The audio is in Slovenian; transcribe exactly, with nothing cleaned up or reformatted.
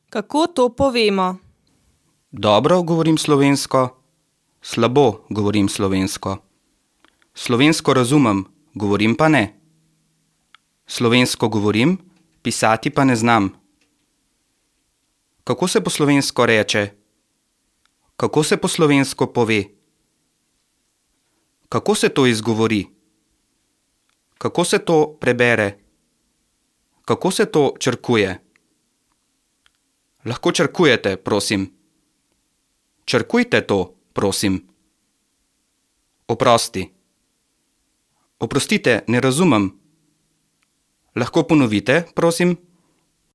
Kako to povemo? Dobro govorim slovensko, slabo govorim slovensko. Slovensko razumem, govorim pa ne. Slovensko govorim, pisati pa ne znam. Kako se po slovensko reče? Kako se po slovensko pove? Kako se to izgovori? Kako se to prebere? Kako se to črkuje? Lahko črkujete, prosim. Črkujte to, prosim. Oprosti. Oprostite, ne razumem. Lahko ponovite, prosim?